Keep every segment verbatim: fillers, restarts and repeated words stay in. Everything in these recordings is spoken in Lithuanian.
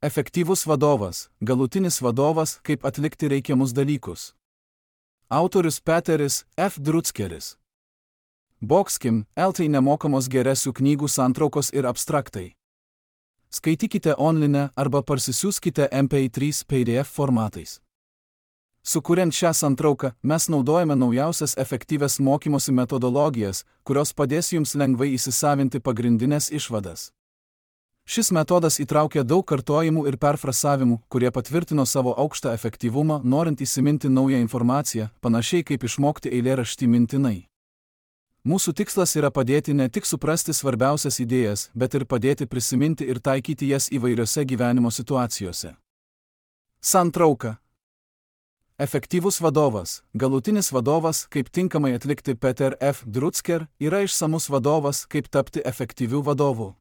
Efektyvus vadovas, galutinis vadovas, kaip atlikti reikiamus dalykus. Autorius Peteris F. Druckeris. Boxkim, L. Tai nemokamos geresių knygų santraukos ir abstraktai. Skaitykite online arba parsisiųskite M P trys P D F formatais. Sukuriant šią santrauką, mes naudojame naujausias efektyvias mokymosi metodologijas, kurios padės jums lengvai įsisavinti pagrindinės išvadas. Šis metodas įtraukia daug kartojimų ir perfrasavimų, kurie patvirtino savo aukštą efektyvumą, norint įsiminti naują informaciją, panašiai kaip išmokti eilėraštį mintinai. Mūsų tikslas yra padėti ne tik suprasti svarbiausias idėjas, bet ir padėti prisiminti ir taikyti jas įvairiose gyvenimo situacijose. Santrauka. Efektyvus vadovas, galutinis vadovas, kaip tinkamai atlikti Peter F. Drucker, yra išsamus vadovas, kaip tapti efektyviu vadovu.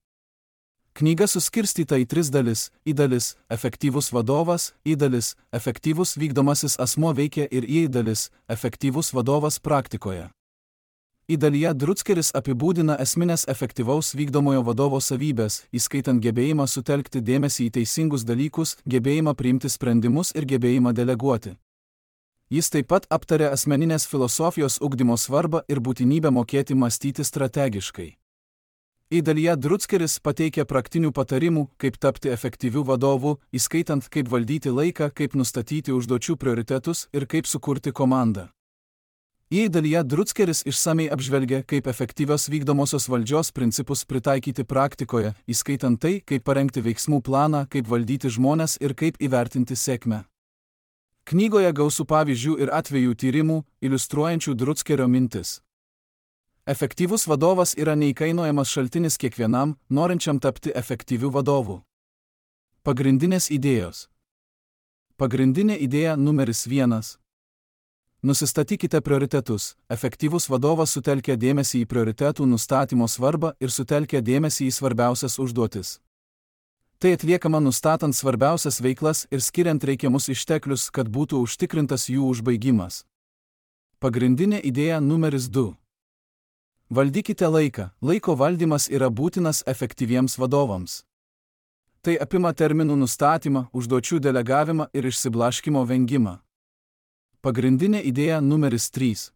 Knyga suskirstyta į tris dalis: į dalis – efektyvus vadovas, į dalis – efektyvus vykdomasis asmuo veikia ir į dalis – efektyvus vadovas praktikoje. Į dalyje Druckeris apibūdina esminės efektyvaus vykdomojo vadovo savybės, įskaitant gebėjimą sutelkti dėmesį į teisingus dalykus, gebėjimą priimti sprendimus ir gebėjimą deleguoti. Jis taip pat aptarė asmeninės filosofijos ugdymo svarbą ir būtinybę mokėti mąstyti strategiškai. Į dalyje Druckeris pateikia praktinių patarimų, kaip tapti efektyviu vadovu, įskaitant kaip valdyti laiką, kaip nustatyti užduočių prioritetus ir kaip sukurti komandą. Į dalyje Druckeris išsamei apžvelgia, kaip efektyvios vykdomosios valdžios principus pritaikyti praktikoje, įskaitant tai, kaip parengti veiksmų planą, kaip valdyti žmones ir kaip įvertinti sėkmę. Knygoje gausu pavyzdžių ir atvejų tyrimų, iliustruojančių Druckerio mintis. Efektyvus vadovas yra neįkainojamas šaltinis kiekvienam, norinčiam tapti efektyviu vadovu. Pagrindinės idėjos. Pagrindinė idėja numeris vienas. Nusistatykite prioritetus. Efektyvus vadovas sutelkia dėmesį į prioritetų nustatymo svarbą ir sutelkia dėmesį į svarbiausias užduotis. Tai atliekama nustatant svarbiausias veiklas ir skiriant reikiamus išteklius, kad būtų užtikrintas jų užbaigimas. Pagrindinė idėja numeris du. Valdykite laiką. Laiko valdymas yra būtinas efektyviems vadovams. Tai apima terminų nustatymą, užduočių delegavimą ir išsiblaškymo vengimą. Pagrindinė idėja numeris trys.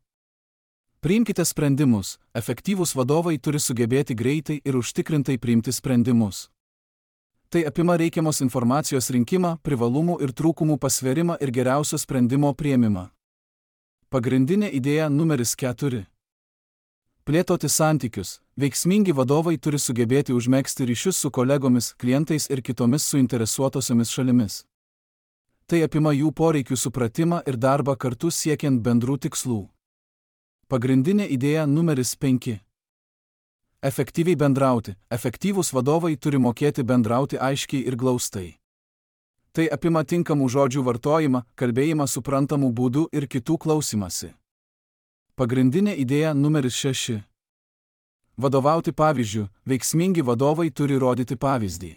Priimkite sprendimus. Efektyvūs vadovai turi sugebėti greitai ir užtikrintai priimti sprendimus. Tai apima reikiamos informacijos rinkimą, privalumų ir trūkumų pasverimą ir geriausio sprendimo priėmimą. Pagrindinė idėja numeris keturi. Plėtoti santykius. Veiksmingi vadovai turi sugebėti užmegzti ryšius su kolegomis, klientais ir kitomis suinteresuotosiomis šalimis. Tai apima jų poreikių supratimą ir darbą kartu siekiant bendrų tikslų. Pagrindinė idėja numeris penki. Efektyviai bendrauti. Efektyvūs vadovai turi mokėti bendrauti aiškiai ir glaustai. Tai apima tinkamų žodžių vartojimą, kalbėjimą suprantamų būdų ir kitų klausimąsi. Pagrindinė idėja numeris šeši. Vadovauti pavyzdžiu. Veiksmingi vadovai turi rodyti pavyzdį.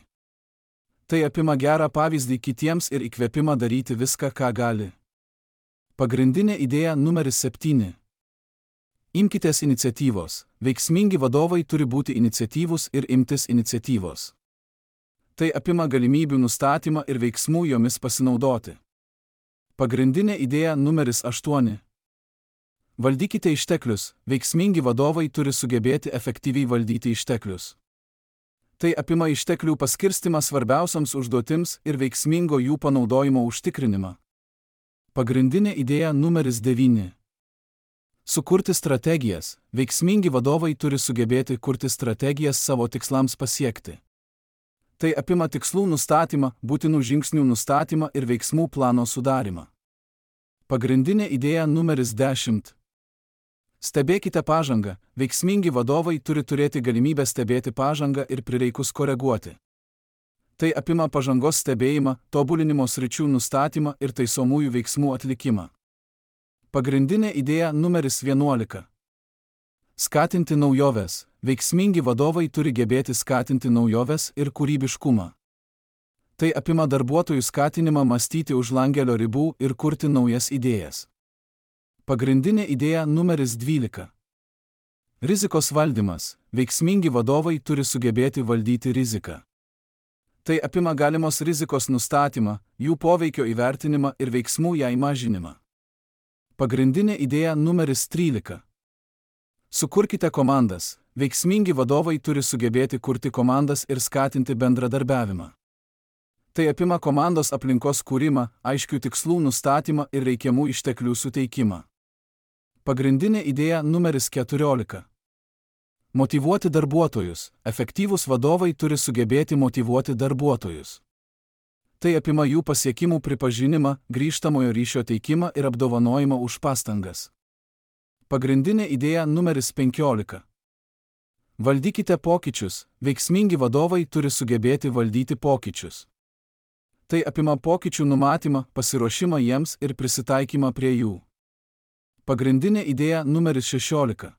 Tai apima gerą pavyzdį kitiems ir įkvėpimą daryti viską, ką gali. Pagrindinė idėja numeris septyni. Imkitės iniciatyvos. Veiksmingi vadovai turi būti iniciatyvūs ir imtis iniciatyvos. Tai apima galimybių nustatymą ir veiksmų jomis pasinaudoti. Pagrindinė idėja numeris aštuoni. Valdykite išteklius. Veiksmingi vadovai turi sugebėti efektyviai valdyti išteklius. Tai apima išteklių paskirstimą svarbiausiams užduotims ir veiksmingo jų panaudojimo užtikrinimą. Pagrindinė idėja numeris devyni. Sukurti strategijas. Veiksmingi vadovai turi sugebėti kurti strategijas savo tikslams pasiekti. Tai apima tikslų nustatymą, būtinų žingsnių nustatymą ir veiksmų plano sudarimą. Pagrindinė idėja numeris dešimt. Stebėkite pažangą. Veiksmingi vadovai turi turėti galimybę stebėti pažangą ir prireikus koreguoti. Tai apima pažangos stebėjimą, tobulinimo sričių nustatymą ir taisomųjų veiksmų atlikimą. Pagrindinė idėja numeris vienuolika. Skatinti naujoves. Veiksmingi vadovai turi gebėti skatinti naujoves ir kūrybiškumą. Tai apima darbuotojų skatinimą mąstyti už langelio ribų ir kurti naujas idėjas. Pagrindinė idėja numeris dvylika. Rizikos valdymas. Veiksmingi vadovai turi sugebėti valdyti riziką. Tai apima galimos rizikos nustatymą, jų poveikio įvertinimą ir veiksmų jai mažinimą. Pagrindinė idėja numeris trylika. Sukurkite komandas. Veiksmingi vadovai turi sugebėti kurti komandas ir skatinti bendradarbiavimą. Tai apima komandos aplinkos kūrimą, aiškių tikslų nustatymą ir reikiamų išteklių suteikimą. Pagrindinė idėja numeris keturiolika. Motyvuoti darbuotojus. Efektyvūs vadovai turi sugebėti motyvuoti darbuotojus. Tai apima jų pasiekimų pripažinimą, grįžtamojo ryšio teikimą ir apdovanojimą už pastangas. Pagrindinė idėja numeris penkiolika. Valdykite pokyčius. Veiksmingi vadovai turi sugebėti valdyti pokyčius. Tai apima pokyčių numatymą, pasiruošimą jiems ir prisitaikymą prie jų. Pagrindinė idėja numeris šešiolika.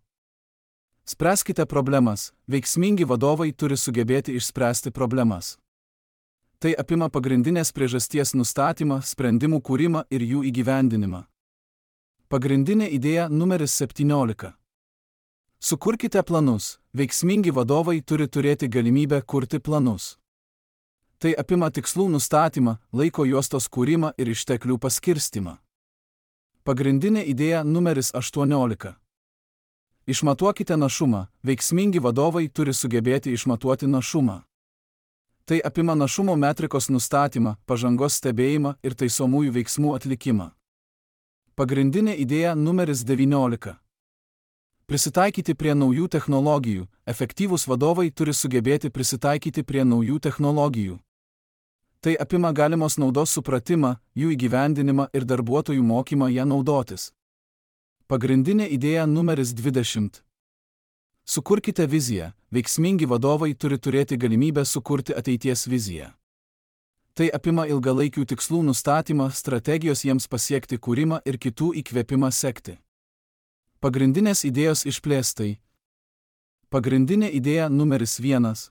Spręskite problemas. Veiksmingi vadovai turi sugebėti išspręsti problemas. Tai apima pagrindinės priežasties nustatymą, sprendimų kūrimą ir jų įgyvendinimą. Pagrindinė idėja numeris septyniolika. Sukurkite planus. Veiksmingi vadovai turi turėti galimybę kurti planus. Tai apima tikslų nustatymą, laiko juostos kūrimą ir išteklių paskirstimą. Pagrindinė idėja numeris aštuoniolika. Išmatuokite našumą. Veiksmingi vadovai turi sugebėti išmatuoti našumą. Tai apima našumo metrikos nustatymą, pažangos stebėjimą ir taisomųjų veiksmų atlikimą. Pagrindinė idėja numeris devyniolika. Prisitaikyti prie naujų technologijų. Efektyvūs vadovai turi sugebėti prisitaikyti prie naujų technologijų. Tai apima galimos naudos supratimą, jų įgyvendinimą ir darbuotojų mokymą ją naudotis. Pagrindinė idėja numeris dvidešimt. Sukurkite viziją. Veiksmingi vadovai turi turėti galimybę sukurti ateities viziją. Tai apima ilgalaikių tikslų nustatymą, strategijos jiems pasiekti kūrimą ir kitų įkvėpimą sekti. Pagrindinės idėjos išplėstai. Pagrindinė idėja numeris vienas.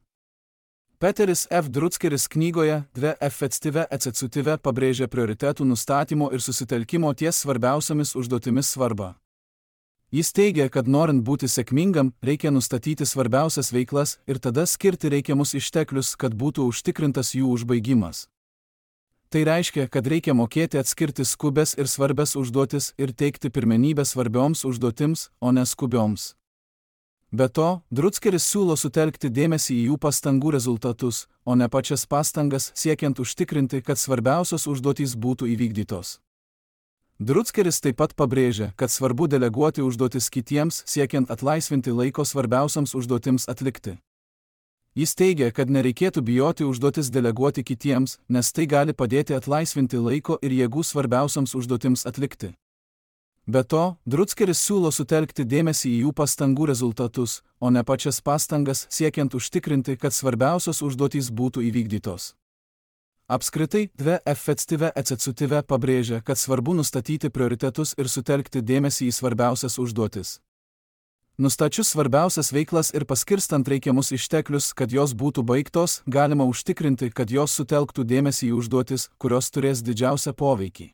Peteris F. Druckeris knygoje Dve efektyve ececutive pabrėžia prioritetų nustatymo ir susitelkimo ties svarbiausiamis užduotimis svarbą. Jis teigia, kad norint būti sėkmingam, reikia nustatyti svarbiausias veiklas ir tada skirti reikiamus išteklius, kad būtų užtikrintas jų užbaigimas. Tai reiškia, kad reikia mokėti atskirti skubes ir svarbias užduotis ir teikti pirmenybę svarbioms užduotims, o ne skubioms. Be to, Druckeris siūlo sutelkti dėmesį į jų pastangų rezultatus, o ne pačias pastangas, siekiant užtikrinti, kad svarbiausios užduotys būtų įvykdytos. Druckeris taip pat pabrėžia, kad svarbu deleguoti užduotis kitiems, siekiant atlaisvinti laiko svarbiausiams užduotims atlikti. Jis teigia, kad nereikėtų bijoti užduotis deleguoti kitiems, nes tai gali padėti atlaisvinti laiko ir jėgų svarbiausiams užduotims atlikti. Be to, Druckeris siūlo sutelkti dėmesį į jų pastangų rezultatus, o ne pačias pastangas, siekiant užtikrinti, kad svarbiausios užduotys būtų įvykdytos. Apskritai, Dve efektyve ececutive pabrėžia, kad svarbu nustatyti prioritetus ir sutelkti dėmesį į svarbiausias užduotis. Nustačius svarbiausias veiklas ir paskirstant reikiamus išteklius, kad jos būtų baigtos, galima užtikrinti, kad jos sutelktų dėmesį į užduotis, kurios turės didžiausią poveikį.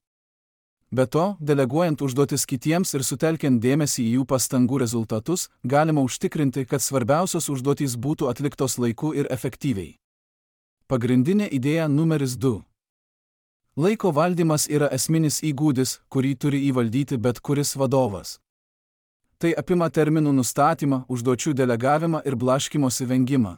Be to, deleguojant užduotis kitiems ir sutelkiant dėmesį į jų pastangų rezultatus, galima užtikrinti, kad svarbiausios užduotys būtų atliktos laiku ir efektyviai. Pagrindinė idėja numeris du. Laiko valdymas yra esminis įgūdis, kurį turi įvaldyti bet kuris vadovas. Tai apima terminų nustatymą, užduočių delegavimą ir blaškymosi vengimą.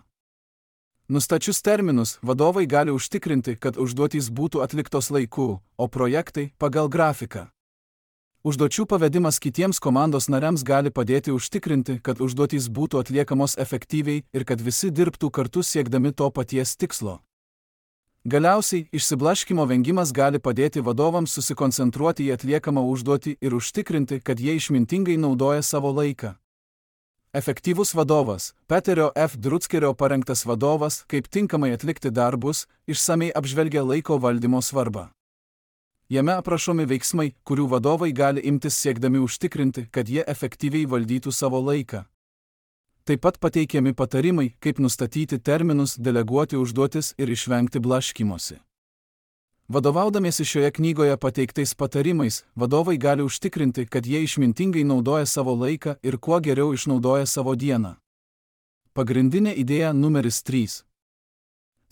Nustačius terminus, vadovai gali užtikrinti, kad užduotys būtų atliktos laiku, o projektai pagal grafiką. Užduočių pavedimas kitiems komandos nariams gali padėti užtikrinti, kad užduotys būtų atliekamos efektyviai ir kad visi dirbtų kartu siekdami to paties tikslo. Galiausiai, išsiblaškymo vengimas gali padėti vadovams susikoncentruoti į atliekamą užduotį ir užtikrinti, kad jie išmintingai naudoja savo laiką. Efektyvus vadovas, Peterio F. Druckerio parengtas vadovas, kaip tinkamai atlikti darbus, išsamei apžvelgia laiko valdymo svarbą. Jame aprašomi veiksmai, kurių vadovai gali imtis siekdami užtikrinti, kad jie efektyviai valdytų savo laiką. Taip pat pateikiami patarimai, kaip nustatyti terminus, deleguoti užduotis ir išvengti blaškymosi. Vadovaudamiesi šioje knygoje pateiktais patarimais, vadovai gali užtikrinti, kad jie išmintingai naudoja savo laiką ir kuo geriau išnaudoja savo dieną. Pagrindinė idėja numeris trys.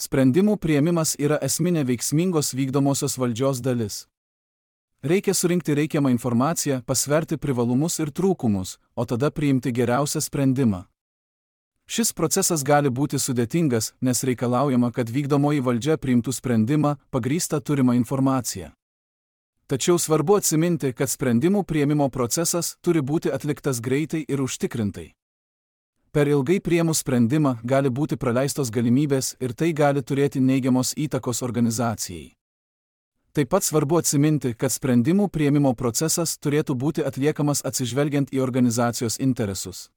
Sprendimų priėmimas yra esminė veiksmingos vykdomosios valdžios dalis. Reikia surinkti reikiamą informaciją, pasverti privalumus ir trūkumus, o tada priimti geriausią sprendimą. Šis procesas gali būti sudėtingas, nes reikalaujama, kad vykdomoji valdžia priimtų sprendimą pagrįstą turimą informaciją. Tačiau svarbu atsiminti, kad sprendimų priėmimo procesas turi būti atliktas greitai ir užtikrintai. Per ilgai priėmus sprendimą gali būti praleistos galimybės ir tai gali turėti neigiamos įtakos organizacijai. Taip pat svarbu atsiminti, kad sprendimų priėmimo procesas turėtų būti atliekamas atsižvelgiant į organizacijos interesus.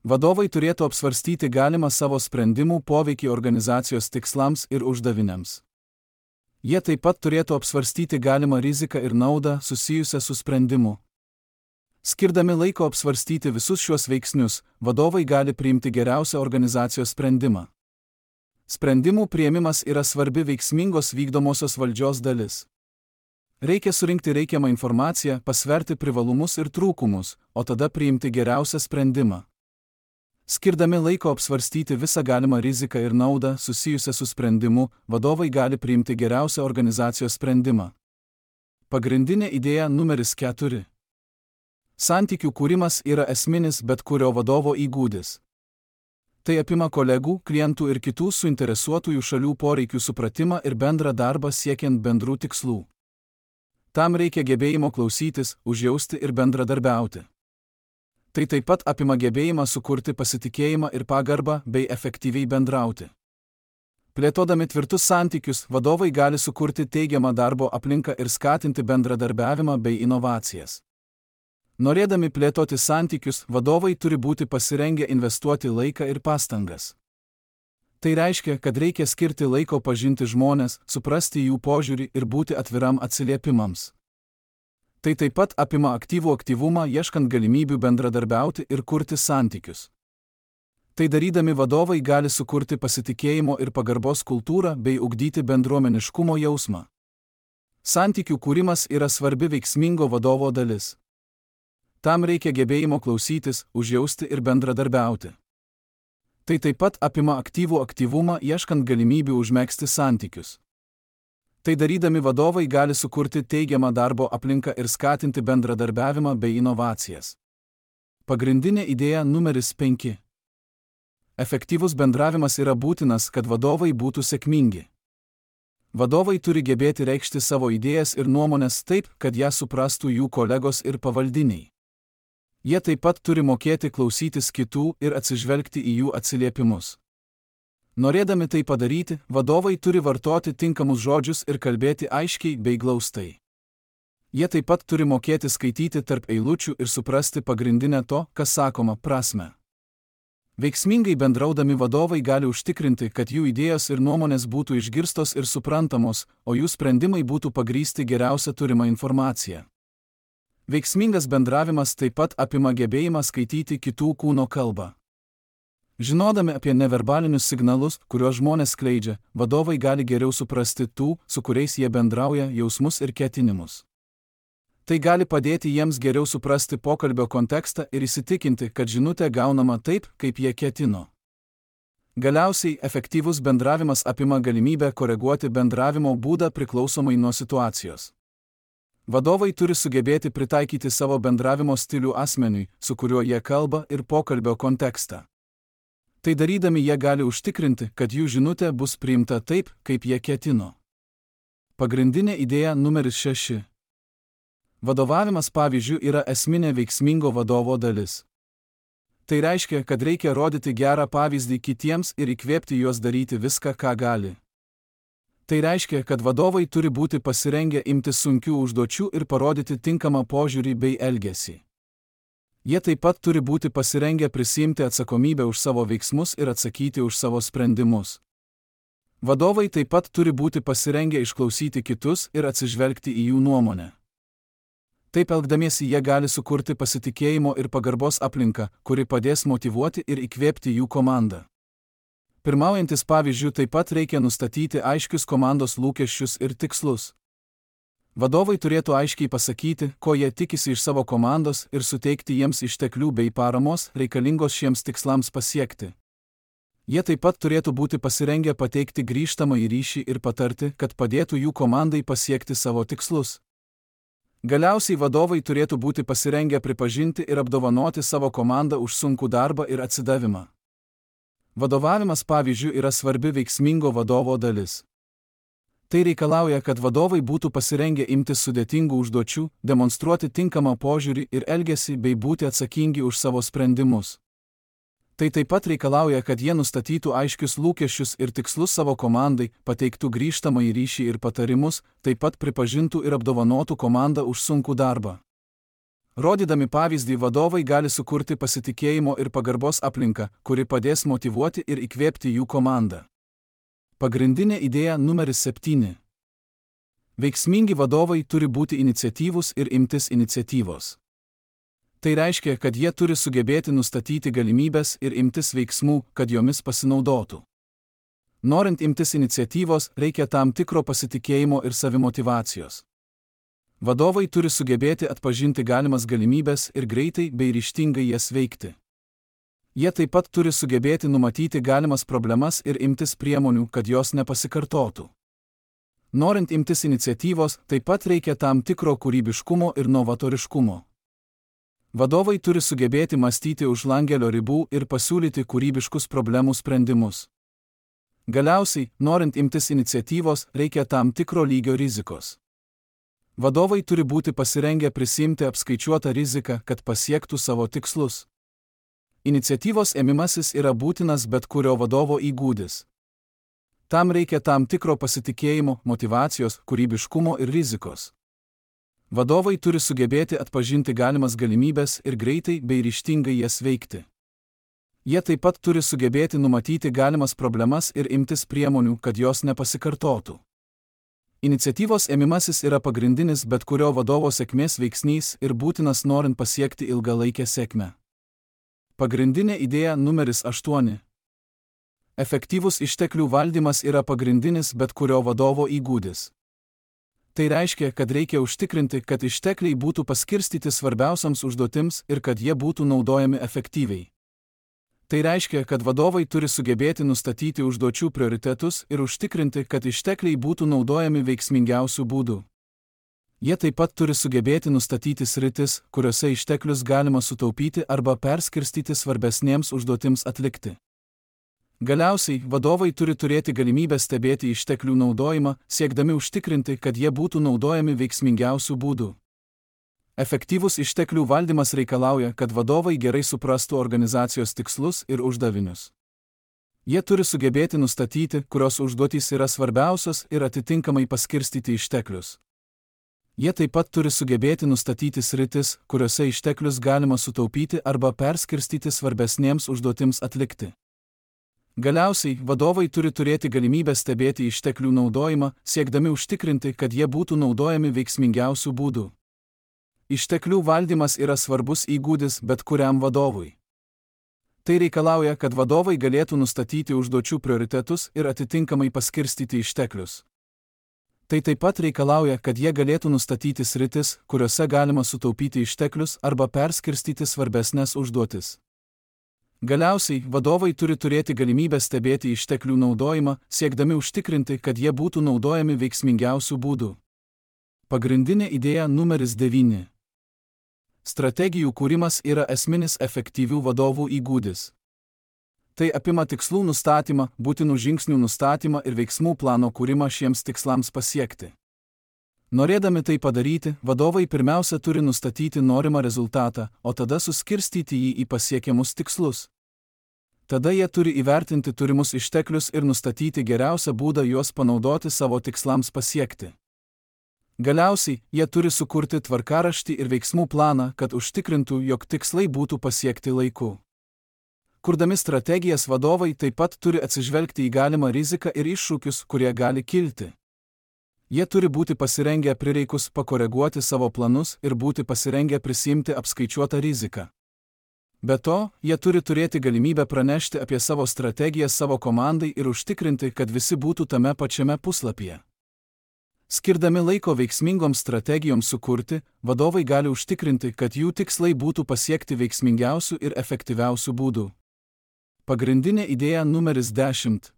Vadovai turėtų apsvarstyti galimą savo sprendimų poveikį organizacijos tikslams ir uždaviniams. Jie taip pat turėtų apsvarstyti galimą riziką ir naudą susijusią su sprendimu. Skirdami laiko apsvarstyti visus šiuos veiksnius, vadovai gali priimti geriausią organizacijos sprendimą. Sprendimų priėmimas yra svarbi veiksmingos vykdomosios valdžios dalis. Reikia surinkti reikiamą informaciją, pasverti privalumus ir trūkumus, o tada priimti geriausią sprendimą. Skirdami laiko apsvarstyti visą galimą riziką ir naudą susijusią su sprendimu, vadovai gali priimti geriausią organizacijos sprendimą. Pagrindinė idėja numeris keturi. Santykių kūrimas yra esminis bet kurio vadovo įgūdis. Tai apima kolegų, klientų ir kitų suinteresuotųjų šalių poreikių supratimą ir bendrą darbą siekiant bendrų tikslų. Tam reikia gebėjimo klausytis, užjausti ir bendradarbiauti. Tai taip pat apima gebėjimą sukurti pasitikėjimą ir pagarbą bei efektyviai bendrauti. Plėtodami tvirtus santykius, vadovai gali sukurti teigiamą darbo aplinką ir skatinti bendradarbiavimą bei inovacijas. Norėdami plėtoti santykius, vadovai turi būti pasirengę investuoti laiką ir pastangas. Tai reiškia, kad reikia skirti laiko pažinti žmones, suprasti jų požiūrį ir būti atviram atsiliepimams. Tai taip pat apima aktyvų aktyvumą, ieškant galimybių bendradarbiauti ir kurti santykius. Tai darydami vadovai gali sukurti pasitikėjimo ir pagarbos kultūrą bei ugdyti bendruomeniškumo jausmą. Santykių kūrimas yra svarbi veiksmingo vadovo dalis. Tam reikia gebėjimo klausytis, užjausti ir bendradarbiauti. Tai taip pat apima aktyvų aktyvumą, ieškant galimybių užmegzti santykius. Tai darydami vadovai gali sukurti teigiamą darbo aplinką ir skatinti bendradarbiavimą bei inovacijas. Pagrindinė idėja numeris penki. Efektyvus bendravimas yra būtinas, kad vadovai būtų sėkmingi. Vadovai turi gebėti reikšti savo idėjas ir nuomonės taip, kad jas suprastų jų kolegos ir pavaldiniai. Jie taip pat turi mokėti klausytis kitų ir atsižvelgti į jų atsiliepimus. Norėdami tai padaryti, vadovai turi vartoti tinkamus žodžius ir kalbėti aiškiai bei glaustai. Jie taip pat turi mokėti skaityti tarp eilučių ir suprasti pagrindinę to, kas sakoma, prasmę. Veiksmingai bendraudami vadovai gali užtikrinti, kad jų idėjos ir nuomonės būtų išgirstos ir suprantamos, o jų sprendimai būtų pagrįsti geriausia turima informacija. Veiksmingas bendravimas taip pat apima gebėjimą skaityti kitų kūno kalbą. Žinodami apie neverbalinius signalus, kuriuos žmonės skleidžia, vadovai gali geriau suprasti tų, su kuriais jie bendrauja, jausmus ir ketinimus. Tai gali padėti jiems geriau suprasti pokalbio kontekstą ir įsitikinti, kad žinutė gaunama taip, kaip jie ketino. Galiausiai, efektyvus bendravimas apima galimybę koreguoti bendravimo būdą priklausomai nuo situacijos. Vadovai turi sugebėti pritaikyti savo bendravimo stilių asmeniui, su kuriuo jie kalba, ir pokalbio kontekstą. Tai darydami jie gali užtikrinti, kad jų žinutė bus priimta taip, kaip jie ketino. Pagrindinė idėja numeris šeši. Vadovavimas pavyzdžiu yra esminė veiksmingo vadovo dalis. Tai reiškia, kad reikia rodyti gerą pavyzdį kitiems ir įkvėpti juos daryti viską, ką gali. Tai reiškia, kad vadovai turi būti pasirengę imtis sunkių užduočių ir parodyti tinkamą požiūrį bei elgesį. Jie taip pat turi būti pasirengę prisiimti atsakomybę už savo veiksmus ir atsakyti už savo sprendimus. Vadovai taip pat turi būti pasirengę išklausyti kitus ir atsižvelgti į jų nuomonę. Taip elgdamiesi jie gali sukurti pasitikėjimo ir pagarbos aplinką, kuri padės motyvuoti ir įkvėpti jų komandą. Pirmaujantis pavyzdžių taip pat reikia nustatyti aiškius komandos lūkesčius ir tikslus. Vadovai turėtų aiškiai pasakyti, ko jie tikisi iš savo komandos ir suteikti jiems išteklių bei paramos reikalingos šiems tikslams pasiekti. Jie taip pat turėtų būti pasirengę pateikti grįžtamąjį ryšį ir patarti, kad padėtų jų komandai pasiekti savo tikslus. Galiausiai vadovai turėtų būti pasirengę pripažinti ir apdovanoti savo komandą už sunkų darbą ir atsidavimą. Vadovavimas, pavyzdžiui, yra svarbi veiksmingo vadovo dalis. Tai reikalauja, kad vadovai būtų pasirengę imtis sudėtingų užduočių, demonstruoti tinkamą požiūrį ir elgesį bei būti atsakingi už savo sprendimus. Tai taip pat reikalauja, kad jie nustatytų aiškius lūkesčius ir tikslus savo komandai, pateiktų grįžtamąjį ryšį ir patarimus, taip pat pripažintų ir apdovanotų komandą už sunkų darbą. Rodydami pavyzdį, vadovai gali sukurti pasitikėjimo ir pagarbos aplinką, kuri padės motyvuoti ir įkvėpti jų komandą. Pagrindinė idėja numeris septyni. Veiksmingi vadovai turi būti iniciatyvūs ir imtis iniciatyvos. Tai reiškia, kad jie turi sugebėti nustatyti galimybes ir imtis veiksmų, kad jomis pasinaudotų. Norint imtis iniciatyvos, reikia tam tikro pasitikėjimo ir savimotyvacijos. Vadovai turi sugebėti atpažinti galimas galimybes ir greitai bei ryžtingai jas veikti. Jie taip pat turi sugebėti numatyti galimas problemas ir imtis priemonių, kad jos nepasikartotų. Norint imtis iniciatyvos, taip pat reikia tam tikro kūrybiškumo ir novatoriškumo. Vadovai turi sugebėti mąstyti už langelio ribų ir pasiūlyti kūrybiškus problemų sprendimus. Galiausiai, norint imtis iniciatyvos, reikia tam tikro lygio rizikos. Vadovai turi būti pasirengę prisiimti apskaičiuotą riziką, kad pasiektų savo tikslus. Iniciatyvos ėmimasis yra būtinas bet kurio vadovo įgūdis. Tam reikia tam tikro pasitikėjimo, motyvacijos, kūrybiškumo ir rizikos. Vadovai turi sugebėti atpažinti galimas galimybes ir greitai bei ryžtingai jas veikti. Jie taip pat turi sugebėti numatyti galimas problemas ir imtis priemonių, kad jos nepasikartotų. Iniciatyvos ėmimasis yra pagrindinis bet kurio vadovo sėkmės veiksnys ir būtinas norint pasiekti ilgalaikę sėkmę. Pagrindinė idėja numeris aštuoni. Efektyvus išteklių valdymas yra pagrindinis bet kurio vadovo įgūdis. Tai reiškia, kad reikia užtikrinti, kad ištekliai būtų paskirstyti svarbiausiams užduotims ir kad jie būtų naudojami efektyviai. Tai reiškia, kad vadovai turi sugebėti nustatyti užduočių prioritetus ir užtikrinti, kad ištekliai būtų naudojami veiksmingiausių būdų. Jie taip pat turi sugebėti nustatyti sritis, kuriuose išteklius galima sutaupyti arba perskirstyti svarbesnėms užduotims atlikti. Galiausiai, vadovai turi turėti galimybę stebėti išteklių naudojimą, siekdami užtikrinti, kad jie būtų naudojami veiksmingiausių būdų. Efektyvus išteklių valdymas reikalauja, kad vadovai gerai suprastų organizacijos tikslus ir uždavinius. Jie turi sugebėti nustatyti, kurios užduotys yra svarbiausios ir atitinkamai paskirstyti išteklius. Jie taip pat turi sugebėti nustatyti sritis, kuriuose išteklius galima sutaupyti arba perskirstyti svarbesnėms užduotims atlikti. Galiausiai, vadovai turi turėti galimybę stebėti išteklių naudojimą, siekdami užtikrinti, kad jie būtų naudojami veiksmingiausių būdų. Išteklių valdymas yra svarbus įgūdis bet kuriam vadovui. Tai reikalauja, kad vadovai galėtų nustatyti užduočių prioritetus ir atitinkamai paskirstyti išteklius. Tai taip pat reikalauja, kad jie galėtų nustatyti sritis, kuriuose galima sutaupyti išteklius arba perskirstyti svarbesnės užduotis. Galiausiai, vadovai turi turėti galimybę stebėti išteklių naudojimą, siekdami užtikrinti, kad jie būtų naudojami veiksmingiausių būdų. Pagrindinė idėja numeris devyni. Strategijų kūrimas yra esminis efektyvių vadovų įgūdis. Tai apima tikslų nustatymą, būtinų žingsnių nustatymą ir veiksmų plano kūrimą šiems tikslams pasiekti. Norėdami tai padaryti, vadovai pirmiausia turi nustatyti norimą rezultatą, o tada suskirstyti jį į pasiekiamus tikslus. Tada jie turi įvertinti turimus išteklius ir nustatyti geriausią būdą juos panaudoti savo tikslams pasiekti. Galiausiai, jie turi sukurti tvarkaraštį ir veiksmų planą, kad užtikrintų, jog tikslai būtų pasiekti laiku. Kurdami strategijas, vadovai taip pat turi atsižvelgti į galimą riziką ir iššūkius, kurie gali kilti. Jie turi būti pasirengę prireikus pakoreguoti savo planus ir būti pasirengę prisiimti apskaičiuotą riziką. Be to, jie turi turėti galimybę pranešti apie savo strategiją savo komandai ir užtikrinti, kad visi būtų tame pačiame puslapyje. Skirdami laiko veiksmingoms strategijoms sukurti, vadovai gali užtikrinti, kad jų tikslai būtų pasiekti veiksmingiausių ir efektyviausių būdų. Pagrindinė idėja numeris dešimt.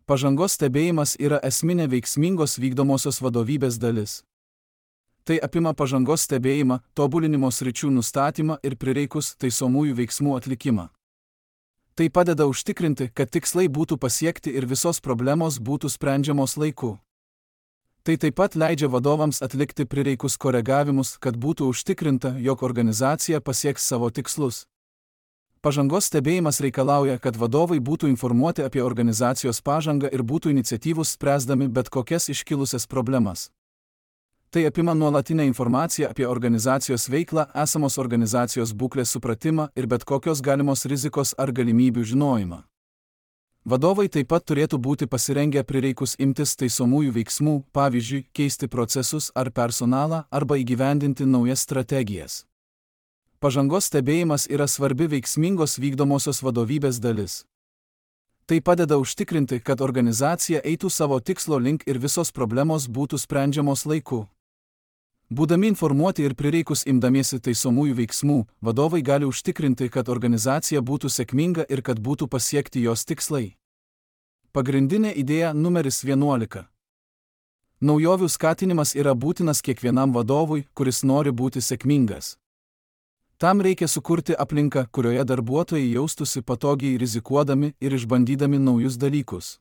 Pažangos stebėjimas yra esminė veiksmingos vykdomosios vadovybės dalis. Tai apima pažangos stebėjimą, tobulinimo sričių nustatymą ir prireikus taisomųjų veiksmų atlikimą. Tai padeda užtikrinti, kad tikslai būtų pasiekti ir visos problemos būtų sprendžiamos laiku. Tai taip pat leidžia vadovams atlikti prireikus koregavimus, kad būtų užtikrinta, jog organizacija pasieks savo tikslus. Pažangos stebėjimas reikalauja, kad vadovai būtų informuoti apie organizacijos pažangą ir būtų iniciatyvūs spręsdami bet kokias iškilusias problemas. Tai apima nuolatinę informaciją apie organizacijos veiklą, esamos organizacijos būklės supratimą ir bet kokios galimos rizikos ar galimybių žinojimą. Vadovai taip pat turėtų būti pasirengę prireikus imtis taisomųjų veiksmų, pavyzdžiui, keisti procesus ar personalą arba įgyvendinti naujas strategijas. Pažangos stebėjimas yra svarbi veiksmingos vykdomosios vadovybės dalis. Tai padeda užtikrinti, kad organizacija eitų savo tikslo link ir visos problemos būtų sprendžiamos laiku. Būdami informuoti ir prireikus imdamiesi taisomųjų veiksmų, vadovai gali užtikrinti, kad organizacija būtų sėkminga ir kad būtų pasiekti jos tikslai. Pagrindinė idėja numeris vienuolika. Naujovių skatinimas yra būtinas kiekvienam vadovui, kuris nori būti sėkmingas. Tam reikia sukurti aplinką, kurioje darbuotojai jaustųsi patogiai rizikuodami ir išbandydami naujus dalykus.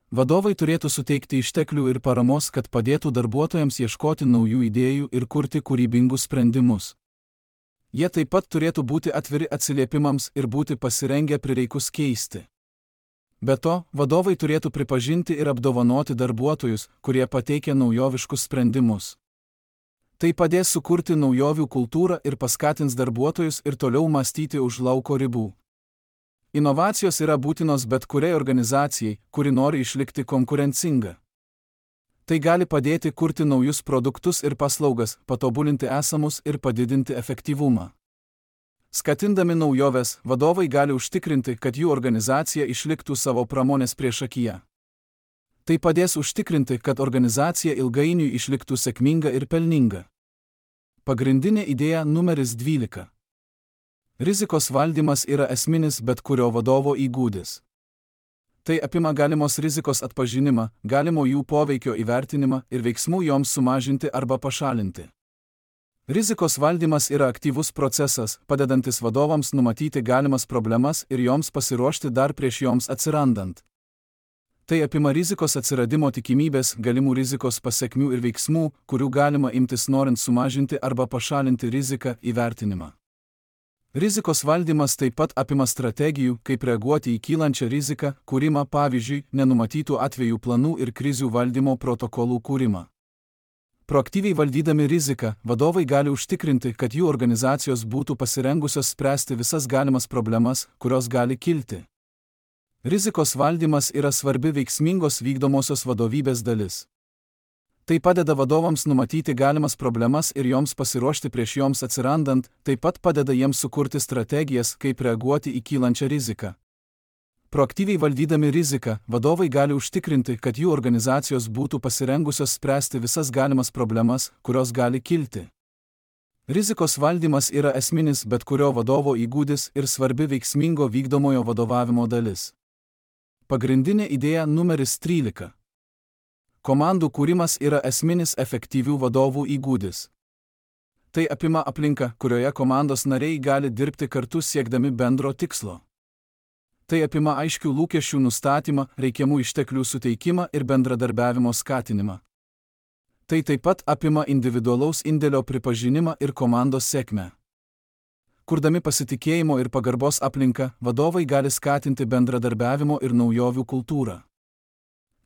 Vadovai turėtų suteikti išteklių ir paramos, kad padėtų darbuotojams ieškoti naujų idėjų ir kurti kūrybingus sprendimus. Jie taip pat turėtų būti atviri atsiliepimams ir būti pasirengę prireikus keisti. Be to, vadovai turėtų pripažinti ir apdovanoti darbuotojus, kurie pateikia naujoviškus sprendimus. Tai padės sukurti naujovių kultūrą ir paskatins darbuotojus ir toliau mąstyti už lauko ribų. Inovacijos yra būtinos bet kuriai organizacijai, kuri nori išlikti konkurencinga. Tai gali padėti kurti naujus produktus ir paslaugas, patobulinti esamus ir padidinti efektyvumą. Skatindami naujoves, vadovai gali užtikrinti, kad jų organizacija išliktų savo pramonės priešakyje. Tai padės užtikrinti, kad organizacija ilgainiui išliktų sėkminga ir pelninga. Pagrindinė idėja numeris dvylika. Rizikos valdymas yra esminis bet kurio vadovo įgūdis. Tai apima galimos rizikos atpažinimą, galimo jų poveikio įvertinimą ir veiksmų joms sumažinti arba pašalinti. Rizikos valdymas yra aktyvus procesas, padedantis vadovams numatyti galimas problemas ir joms pasiruošti dar prieš joms atsirandant. Tai apima rizikos atsiradimo tikimybės, galimų rizikos pasekmių ir veiksmų, kurių galima imtis norint sumažinti arba pašalinti riziką, įvertinimą. Rizikos valdymas taip pat apima strategijų, kaip reaguoti į kylančią riziką, kūrimą, pavyzdžiui, nenumatytų atvejų planų ir krizių valdymo protokolų kūrimą. Proaktyviai valdydami riziką, vadovai gali užtikrinti, kad jų organizacijos būtų pasirengusios spręsti visas galimas problemas, kurios gali kilti. Rizikos valdymas yra svarbi veiksmingos vykdomosios vadovybės dalis. Tai padeda vadovams numatyti galimas problemas ir joms pasiruošti prieš joms atsirandant, taip pat padeda jiems sukurti strategijas, kaip reaguoti į kylančią riziką. Proaktyviai valdydami riziką, vadovai gali užtikrinti, kad jų organizacijos būtų pasirengusios spręsti visas galimas problemas, kurios gali kilti. Rizikos valdymas yra esminis bet kurio vadovo įgūdis ir svarbi veiksmingo vykdomojo vadovavimo dalis. Pagrindinė idėja numeris trylika. Komandų kūrimas yra esminis efektyvių vadovų įgūdis. Tai apima aplinką, kurioje komandos nariai gali dirbti kartu siekdami bendro tikslo. Tai apima aiškių lūkesčių nustatymą, reikiamų išteklių suteikimą ir bendradarbiavimo skatinimą. Tai taip pat apima individualaus indėlio pripažinimą ir komandos sėkmę. Kurdami pasitikėjimo ir pagarbos aplinką, vadovai gali skatinti bendradarbiavimo ir naujovių kultūrą.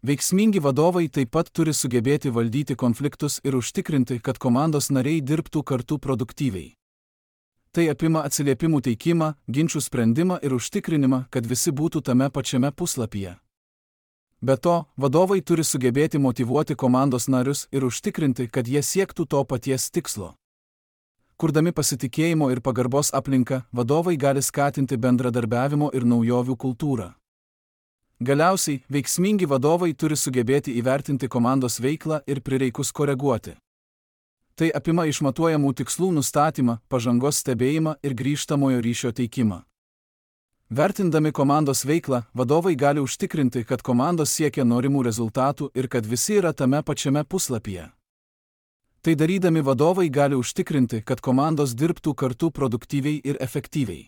Veiksmingi vadovai taip pat turi sugebėti valdyti konfliktus ir užtikrinti, kad komandos nariai dirbtų kartu produktyviai. Tai apima atsiliepimų teikimą, ginčių sprendimą ir užtikrinimą, kad visi būtų tame pačiame puslapyje. Be to, vadovai turi sugebėti motyvuoti komandos narius ir užtikrinti, kad jie siektų to paties tikslo. Kurdami pasitikėjimo ir pagarbos aplinką, vadovai gali skatinti bendradarbiavimo ir naujovių kultūrą. Galiausiai, veiksmingi vadovai turi sugebėti įvertinti komandos veiklą ir prireikus koreguoti. Tai apima išmatuojamų tikslų nustatymą, pažangos stebėjimą ir grįžtamojo ryšio teikimą. Vertindami komandos veiklą, vadovai gali užtikrinti, kad komandos siekia norimų rezultatų ir kad visi yra tame pačiame puslapyje. Tai darydami vadovai gali užtikrinti, kad komandos dirbtų kartu produktyviai ir efektyviai.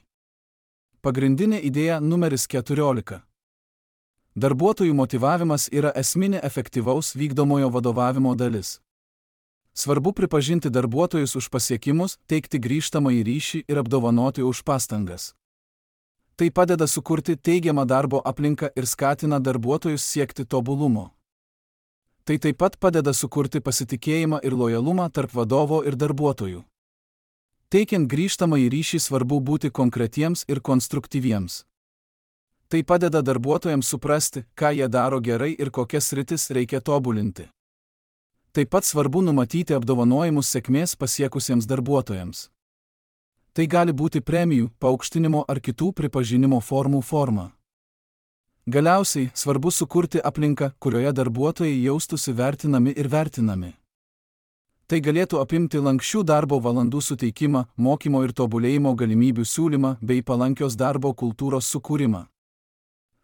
Pagrindinė idėja numeris keturiolika. Darbuotojų motyvavimas yra esminė efektyvaus vykdomojo vadovavimo dalis. Svarbu pripažinti darbuotojus už pasiekimus, teikti grįžtamąjį ryšį ir apdovanoti už pastangas. Tai padeda sukurti teigiamą darbo aplinką ir skatina darbuotojus siekti tobulumo. Tai taip pat padeda sukurti pasitikėjimą ir lojalumą tarp vadovo ir darbuotojų. Teikiant grįžtamąjį ryšį svarbu būti konkretiems ir konstruktyviems. Tai padeda darbuotojams suprasti, ką jie daro gerai ir kokias sritis reikia tobulinti. Taip pat svarbu numatyti apdovanojimus sėkmės pasiekusiems darbuotojams. Tai gali būti premijų, paaukštinimo ar kitų pripažinimo formų forma. Galiausiai, svarbu sukurti aplinką, kurioje darbuotojai jaustųsi vertinami ir vertinami. Tai galėtų apimti lanksčių darbo valandų suteikimą, mokymo ir tobulėjimo galimybių siūlymą bei palankios darbo kultūros sukūrimą.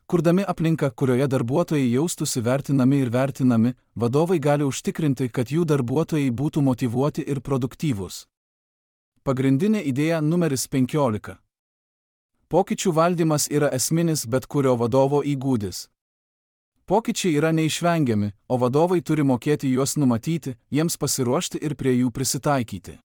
Kurdami aplinką, kurioje darbuotojai jaustųsi vertinami ir vertinami, vadovai gali užtikrinti, kad jų darbuotojai būtų motyvuoti ir produktyvūs. Pagrindinė idėja numeris penkiolika. Pokyčių valdymas yra esminis bet kurio vadovo įgūdis. Pokyčiai yra neišvengiami, o vadovai turi mokėti juos numatyti, jiems pasiruošti ir prie jų prisitaikyti.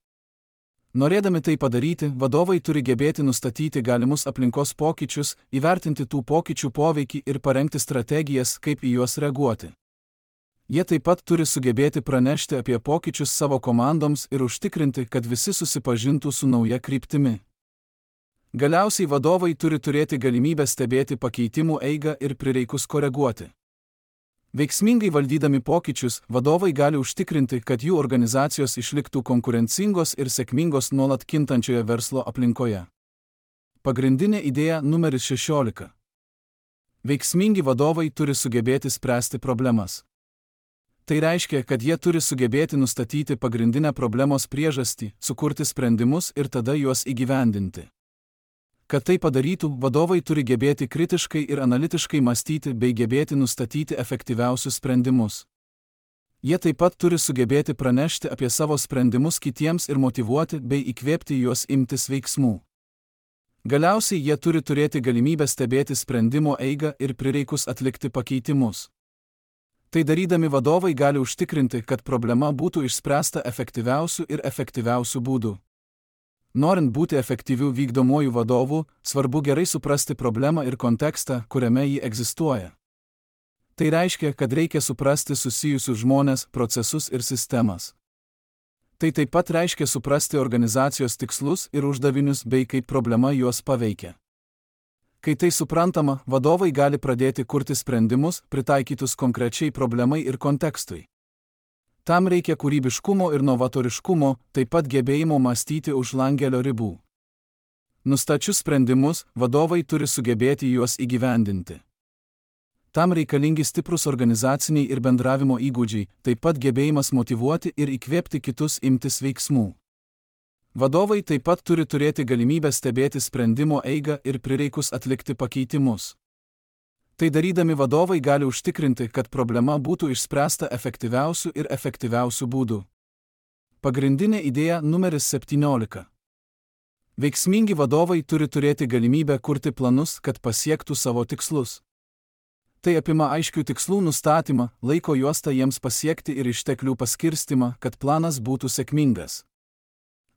Norėdami tai padaryti, vadovai turi gebėti nustatyti galimus aplinkos pokyčius, įvertinti tų pokyčių poveikį ir parengti strategijas, kaip į juos reaguoti. Jie taip pat turi sugebėti pranešti apie pokyčius savo komandoms ir užtikrinti, kad visi susipažintų su nauja kryptimi. Galiausiai vadovai turi turėti galimybę stebėti pakeitimų eigą ir prireikus koreguoti. Veiksmingai valdydami pokyčius, vadovai gali užtikrinti, kad jų organizacijos išliktų konkurencingos ir sėkmingos nuolat kintančioje verslo aplinkoje. Pagrindinė idėja numeris šešiolika. Veiksmingi vadovai turi sugebėti spręsti problemas. Tai reiškia, kad jie turi sugebėti nustatyti pagrindinę problemos priežastį, sukurti sprendimus ir tada juos įgyvendinti. Kad tai padarytų, vadovai turi gebėti kritiškai ir analitiškai mąstyti bei gebėti nustatyti efektyviausius sprendimus. Jie taip pat turi sugebėti pranešti apie savo sprendimus kitiems ir motyvuoti bei įkvėpti juos imtis veiksmų. Galiausiai jie turi turėti galimybę stebėti sprendimo eigą ir prireikus atlikti pakeitimus. Tai darydami vadovai gali užtikrinti, kad problema būtų išspręsta efektyviausių ir efektyviausių būdų. Norint būti efektyvių vykdomųjų vadovų, svarbu gerai suprasti problemą ir kontekstą, kuriame ji egzistuoja. Tai reiškia, kad reikia suprasti susijusius žmones, procesus ir sistemas. Tai taip pat reiškia suprasti organizacijos tikslus ir uždavinius bei kaip problema juos paveikia. Kai tai suprantama, vadovai gali pradėti kurti sprendimus, pritaikytus konkrečiai problemai ir kontekstui. Tam reikia kūrybiškumo ir novatoriškumo, taip pat gebėjimo mąstyti už langelio ribų. Nustačius sprendimus, vadovai turi sugebėti juos įgyvendinti. Tam reikalingi stiprus organizaciniai ir bendravimo įgūdžiai, taip pat gebėjimas motyvuoti ir įkvėpti kitus imtis veiksmų. Vadovai taip pat turi turėti galimybę stebėti sprendimo eigą ir prireikus atlikti pakeitimus. Tai darydami vadovai gali užtikrinti, kad problema būtų išspręsta efektyviausių ir efektyviausių būdų. Pagrindinė idėja numeris septyniolika. Veiksmingi vadovai turi turėti galimybę kurti planus, kad pasiektų savo tikslus. Tai apima aiškių tikslų nustatymą, laiko juostą jiems pasiekti ir išteklių paskirstimą, kad planas būtų sėkmingas.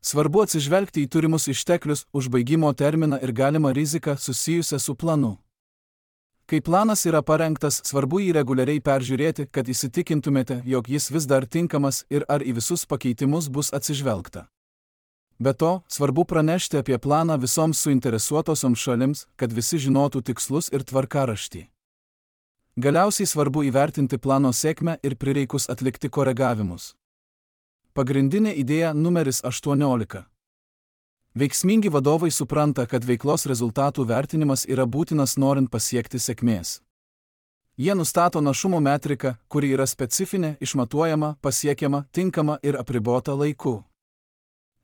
Svarbu atsižvelgti į turimus išteklius, užbaigimo terminą ir galimą riziką susijusią su planu. Kai planas yra parengtas, svarbu jį reguliariai peržiūrėti, kad įsitikintumėte, jog jis vis dar tinkamas ir ar į visus pakeitimus bus atsižvelgta. Be to, svarbu pranešti apie planą visoms suinteresuotosioms šalims, kad visi žinotų tikslus ir tvarkaraštį. Galiausiai svarbu įvertinti plano sėkmę ir prireikus atlikti koregavimus. Pagrindinė idėja numeris aštuoniolika. Veiksmingi vadovai supranta, kad veiklos rezultatų vertinimas yra būtinas norint pasiekti sėkmės. Jie nustato našumo metriką, kuri yra specifinė, išmatuojama, pasiekiama, tinkama ir apribota laiku.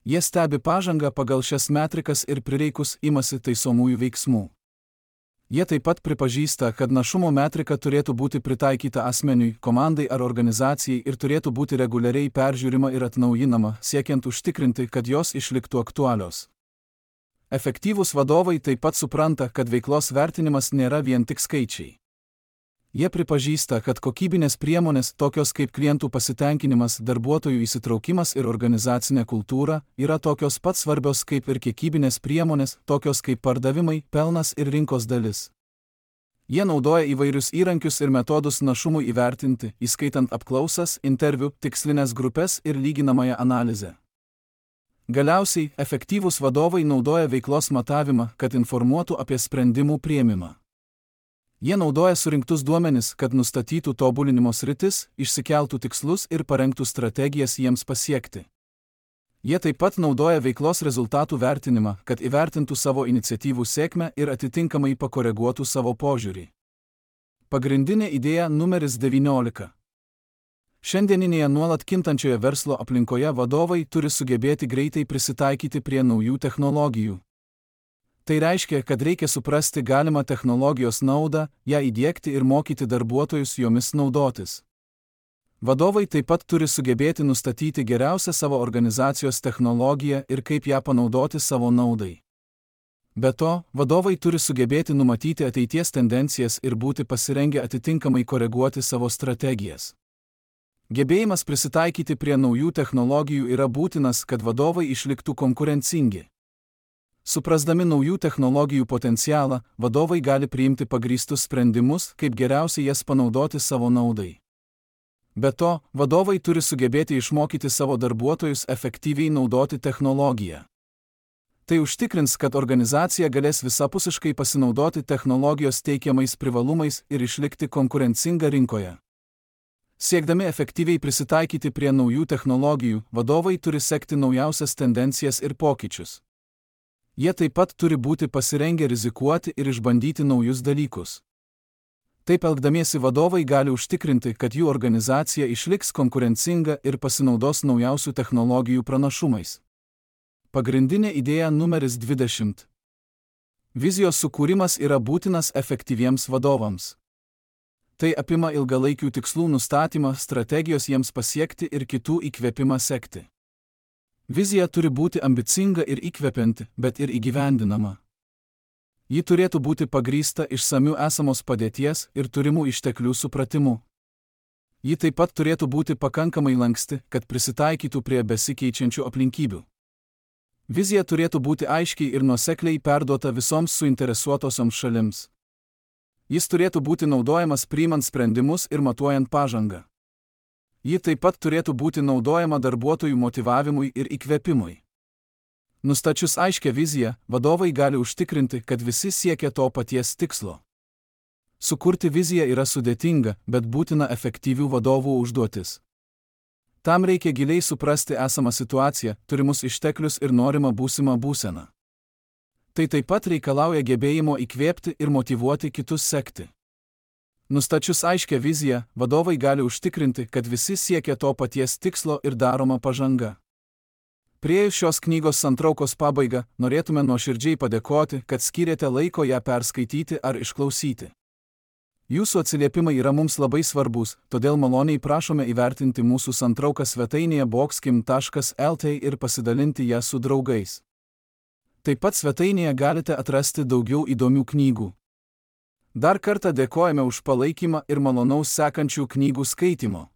Jie stebi pažangą pagal šias metrikas ir prireikus imasi taisomųjų veiksmų. Jie taip pat pripažįsta, kad našumo metrika turėtų būti pritaikyta asmeniui, komandai ar organizacijai ir turėtų būti reguliariai peržiūrima ir atnaujinama, siekiant užtikrinti, kad jos išliktų aktualios. Efektyvūs vadovai taip pat supranta, kad veiklos vertinimas nėra vien tik skaičiai. Jie pripažįsta, kad kokybinės priemonės, tokios kaip klientų pasitenkinimas, darbuotojų įsitraukimas ir organizacinė kultūra, yra tokios pat svarbios kaip ir kiekybinės priemonės, tokios kaip pardavimai, pelnas ir rinkos dalis. Jie naudoja įvairius įrankius ir metodus našumui įvertinti, įskaitant apklausas, interviu, tikslinės grupės ir lyginamąją analizę. Galiausiai, efektyvūs vadovai naudoja veiklos matavimą, kad informuotų apie sprendimų priėmimą. Jie naudoja surinktus duomenis, kad nustatytų tobulinimo sritis, išsikeltų tikslus ir parengtų strategijas jiems pasiekti. Jie taip pat naudoja veiklos rezultatų vertinimą, kad įvertintų savo iniciatyvų sėkmę ir atitinkamai pakoreguotų savo požiūrį. Pagrindinė idėja numeris devyniolika. Šiandieninėje nuolat kintančioje verslo aplinkoje vadovai turi sugebėti greitai prisitaikyti prie naujų technologijų. Tai reiškia, kad reikia suprasti galimą technologijos naudą, ją įdiegti ir mokyti darbuotojus jomis naudotis. Vadovai taip pat turi sugebėti nustatyti geriausią savo organizacijos technologiją ir kaip ją panaudoti savo naudai. Be to, vadovai turi sugebėti numatyti ateities tendencijas ir būti pasirengę atitinkamai koreguoti savo strategijas. Gebėjimas prisitaikyti prie naujų technologijų yra būtinas, kad vadovai išliktų konkurencingi. Suprasdami naujų technologijų potencialą, vadovai gali priimti pagrįstus sprendimus, kaip geriausiai jas panaudoti savo naudai. Be to, vadovai turi sugebėti išmokyti savo darbuotojus efektyviai naudoti technologiją. Tai užtikrins, kad organizacija galės visapusiškai pasinaudoti technologijos teikiamais privalumais ir išlikti konkurencinga rinkoje. Siekdami efektyviai prisitaikyti prie naujų technologijų, vadovai turi sekti naujausias tendencijas ir pokyčius. Jie taip pat turi būti pasirengę rizikuoti ir išbandyti naujus dalykus. Taip elgdamiesi vadovai gali užtikrinti, kad jų organizacija išliks konkurencinga ir pasinaudos naujausių technologijų pranašumais. Pagrindinė idėja numeris dvidešimt. Vizijos sukūrimas yra būtinas efektyviems vadovams. Tai apima ilgalaikių tikslų nustatymą, strategijos jiems pasiekti ir kitų įkvėpimą sekti. Vizija turi būti ambicinga ir įkvepianti, bet ir įgyvendinama. Ji turėtų būti pagrįsta išsamiu esamos padėties ir turimų išteklių supratimu. Ji taip pat turėtų būti pakankamai lanksti, kad prisitaikytų prie besikeičiančių aplinkybių. Vizija turėtų būti aiškiai ir nuosekliai perduota visoms suinteresuotosioms šalims. Jis turėtų būti naudojamas priimant sprendimus ir matuojant pažangą. Ji taip pat turėtų būti naudojama darbuotojų motyvavimui ir įkvėpimui. Nustačius aiškią viziją, vadovai gali užtikrinti, kad visi siekia to paties tikslo. Sukurti viziją yra sudėtinga, bet būtina efektyvių vadovų užduotis. Tam reikia giliai suprasti esamą situaciją, turimus išteklius ir norimą būsimą būseną. Tai taip pat reikalauja gebėjimo įkvėpti ir motyvuoti kitus sekti. Nustačius aiškią viziją, vadovai gali užtikrinti, kad visi siekia to paties tikslo ir daroma pažanga. Priėjus šios knygos santraukos pabaigą, norėtume nuoširdžiai padėkoti, kad skyrėte laiko ją perskaityti ar išklausyti. Jūsų atsiliepimai yra mums labai svarbus, todėl maloniai prašome įvertinti mūsų santrauką svetainėje boxkim taškas lt ir pasidalinti ją su draugais. Taip pat svetainėje galite atrasti daugiau įdomių knygų. Dar kartą dėkojame už palaikymą ir malonaus sekančių knygų skaitimo.